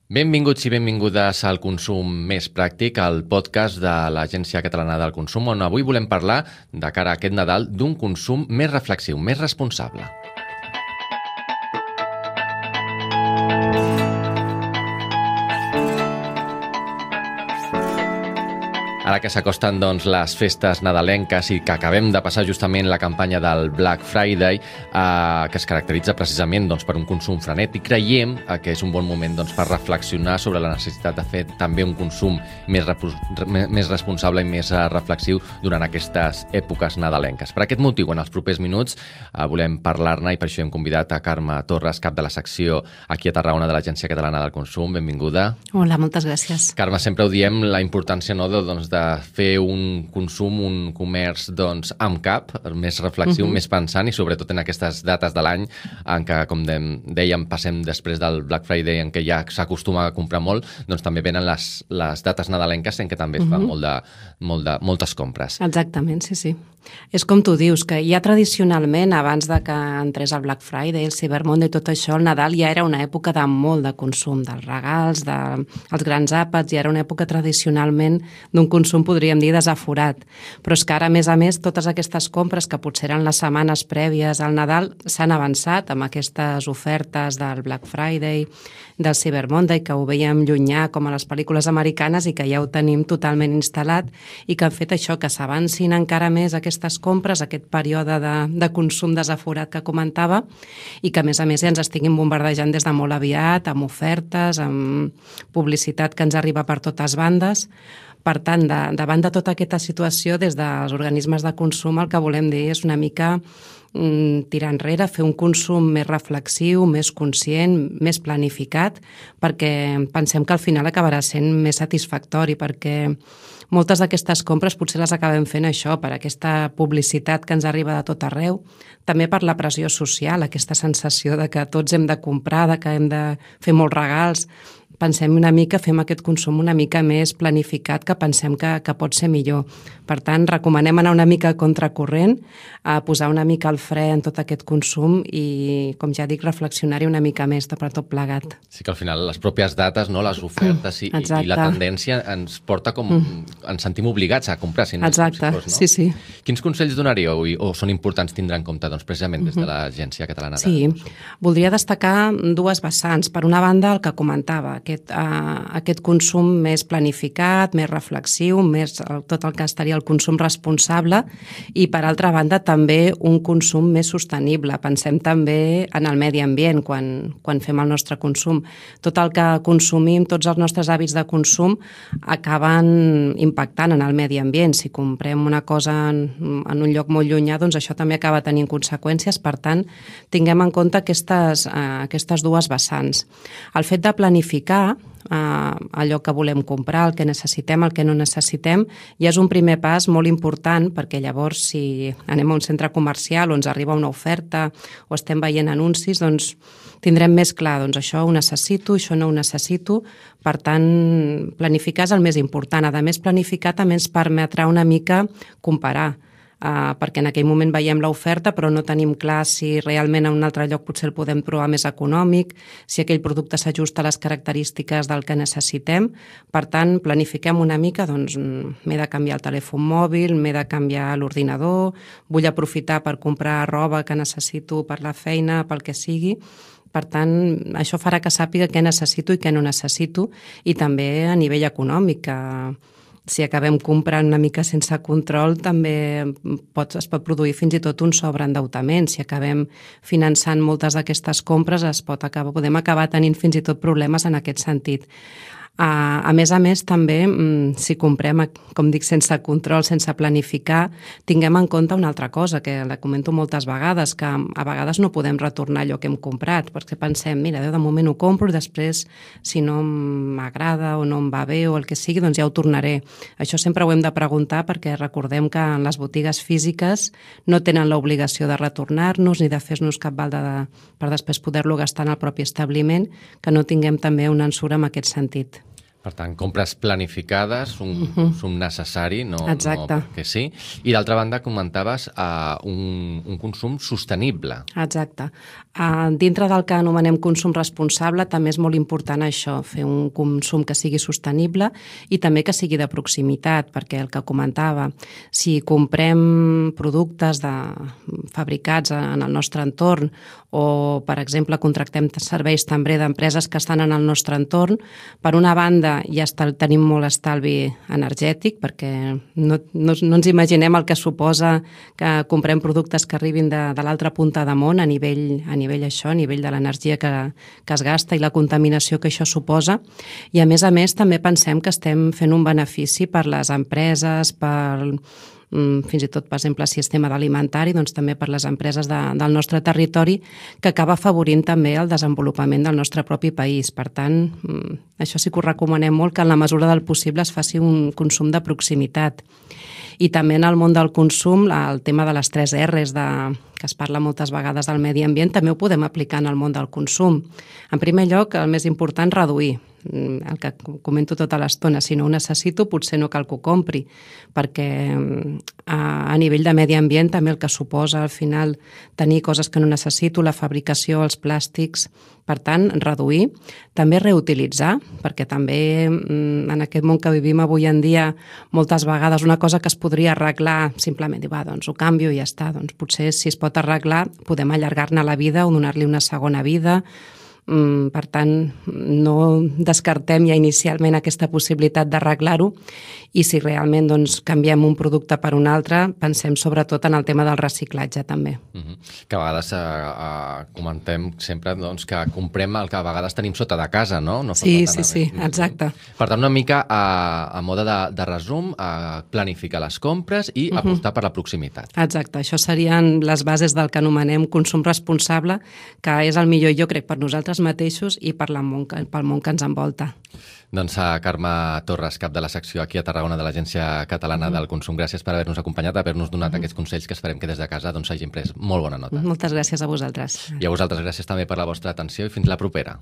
Benvinguts i benvingudes al Consum Més Pràctic, el podcast de l'Agència Catalana del Consum, on avui volem parlar, de cara a aquest Nadal, d'un consum més reflexiu, més responsable. Ara que s'acosten les festes nadalenques i que acabem de passar justament la campanya del Black Friday, que es caracteritza precisament per un consum frenètic, creiem que és un bon moment per reflexionar sobre la necessitat de fer també un consum més responsable i més reflexiu durant aquestes èpoques nadalenques. Per aquest motiu, en els propers minuts volem parlar-ne i per això hem convidat a Carme Torres, cap de la secció aquí a Tarragona de l'Agència Catalana del Consum. Benvinguda. Hola, moltes gràcies. Carme, sempre ho diem, la importància de fer un consum, un comerç amb cap, més reflexiu, més pensant i sobretot en aquestes dates de l'any en què, com dèiem, passem després del Black Friday en què ja s'acostuma a comprar molt, també venen les dates nadalenques en què també es fan moltes compres. Exactament, sí. És com tu dius, que ja tradicionalment, abans de que entrés el Black Friday, el Cyber Monday i tot això, el Nadal ja era una època de molt de consum, dels regals, dels grans àpats, ja era una època tradicionalment d'un consum, podríem dir, desaforat. Però és que ara, a més, totes aquestes compres que potser eren les setmanes prèvies al Nadal s'han avançat amb aquestes ofertes del Black Friday, del Cyber Monday, que ho veiem llunyà com a les pel·lícules americanes i que ja ho tenim totalment instal·lat i que han fet això, que s'avancin encara més aquestes compres, aquest període de consum desaforat que comentava i que, a més, ja ens estiguin bombardejant des de molt aviat, amb ofertes, amb publicitat que ens arriba per totes bandes. Per tant, davant de tota aquesta situació, des dels organismes de consum, el que volem dir és una mica tirar enrere, fer un consum més reflexiu, més conscient, més planificat, perquè pensem que al final acabarà sent més satisfactori, perquè moltes d'aquestes compres potser les acabem fent això, per aquesta publicitat que ens arriba de tot arreu, també per la pressió social, aquesta sensació de que tots hem de comprar, de que hem de fer molts regals. Pensem una mica, fem aquest consum una mica més planificat, que pensem que pot ser millor. Per tant, recomanem anar una mica a contracorrent, a posar una mica el fre en tot aquest consum i, com ja dic, reflexionar-hi una mica més per tot plegat. Sí que al final les pròpies dates, les ofertes i la tendència ens porta ens sentim obligats a comprar. Exacte, sí. Quins consells donaríeu o són importants tindre en compte precisament des de l'Agència Catalana del Consum? Sí, voldria destacar dues vessants. Per una banda, el que comentava, aquest consum més planificat, més reflexiu, més tot el que estaria el consum responsable i, per altra banda, també un consum més sostenible. Pensem també en el medi ambient quan fem el nostre consum. Tot el que consumim, tots els nostres hàbits de consum acaben impactant en el medi ambient. Si comprem una cosa en un lloc molt llunyà, doncs això també acaba tenint conseqüències. Per tant, tinguem en compte aquestes dues vessants. El fet de planificar allò que volem comprar, el que necessitem, el que no necessitem, ja és un primer pas molt important, perquè llavors si anem a un centre comercial o ens arriba una oferta o estem veient anuncis, doncs tindrem més clar, això ho necessito, això no ho necessito. Per tant, planificar és el més important. A més, planificar també ens permetrà una mica comparar, perquè en aquell moment veiem l'oferta però no tenim clar si realment a un altre lloc potser el podem trobar més econòmic, si aquell producte s'ajusta a les característiques del que necessitem. Per tant, planifiquem una mica, m'he de canviar el telèfon mòbil, m'he de canviar l'ordinador, vull aprofitar per comprar roba que necessito per la feina, pel que sigui. Per tant, això farà que sàpiga què necessito i què no necessito, i també a nivell econòmic, si acabem comprant una mica sense control, també es pot produir fins i tot un sobreendeutament. Si acabem finançant moltes d'aquestes compres, podem acabar tenint fins i tot problemes en aquest sentit. A més, també, si comprem, com dic, sense control, sense planificar, tinguem en compte una altra cosa, que la comento moltes vegades, que a vegades no podem retornar allò que hem comprat, perquè pensem, mira, de moment ho compro i després, si no m'agrada o no em va bé o el que sigui, doncs ja ho tornaré. Això sempre ho hem de preguntar, perquè recordem que en les botigues físiques no tenen l'obligació de retornar-nos ni de fer-nos cap balda per després poder-lo gastar en el propi establiment, que no tinguem també una ensura en aquest sentit. Per tant, compres planificades, un consum necessari, no perquè sí. I d'altra banda, comentaves un consum sostenible. Exacte. Dintre del que anomenem consum responsable també és molt important això, fer un consum que sigui sostenible i també que sigui de proximitat, perquè el que comentava, si comprem productes fabricats en el nostre entorn o, per exemple, contractem serveis també d'empreses que estan en el nostre entorn, per una banda ja tenim molt estalvi energètic perquè no ens imaginem el que suposa que comprem productes que arribin de l'altra punta de món a nivell de l'energia que es gasta i la contaminació que això suposa. I a més també pensem que estem fent un benefici per les empreses, fins i tot, per exemple, si és tema d'alimentari, doncs també per les empreses del nostre territori, que acaba afavorint també el desenvolupament del nostre propi país. Per tant, això sí que ho recomanem molt, que en la mesura del possible es faci un consum de proximitat. I també en el món del consum, el tema de les 3 R's, que es parla moltes vegades del medi ambient, també ho podem aplicar en el món del consum. En primer lloc, el més important, reduir. El que comento tota l'estona, si no ho necessito potser no cal que ho compri, perquè a nivell de medi ambient també el que suposa al final tenir coses que no necessito, la fabricació, els plàstics, per tant reduir, també reutilitzar, perquè també en aquest món que vivim avui en dia moltes vegades una cosa que es podria arreglar simplement dir, doncs ho canvio i ja està, doncs potser si es pot arreglar podem allargar-ne la vida o donar-li una segona vida. Per tant, no descartem ja inicialment aquesta possibilitat d'arreglar-ho i si realment canviem un producte per un altre, pensem sobretot en el tema del reciclatge també. Que a vegades comentem sempre que comprem el que a vegades tenim sota de casa, no? Sí, exacte. Per tant, una mica a mode de resum, planificar les compres i apostar per la proximitat. Exacte, això serien les bases del que anomenem consum responsable, que és el millor, jo crec, per nosaltres mateixos i pel món que ens envolta. Doncs Carme Torres, cap de la secció aquí a Tarragona de l'Agència Catalana del Consum, gràcies per haver-nos acompanyat, haver-nos donat aquests consells que esperem que des de casa hagin pres molt bona nota. Moltes gràcies a vosaltres. I a vosaltres gràcies també per la vostra atenció i fins la propera.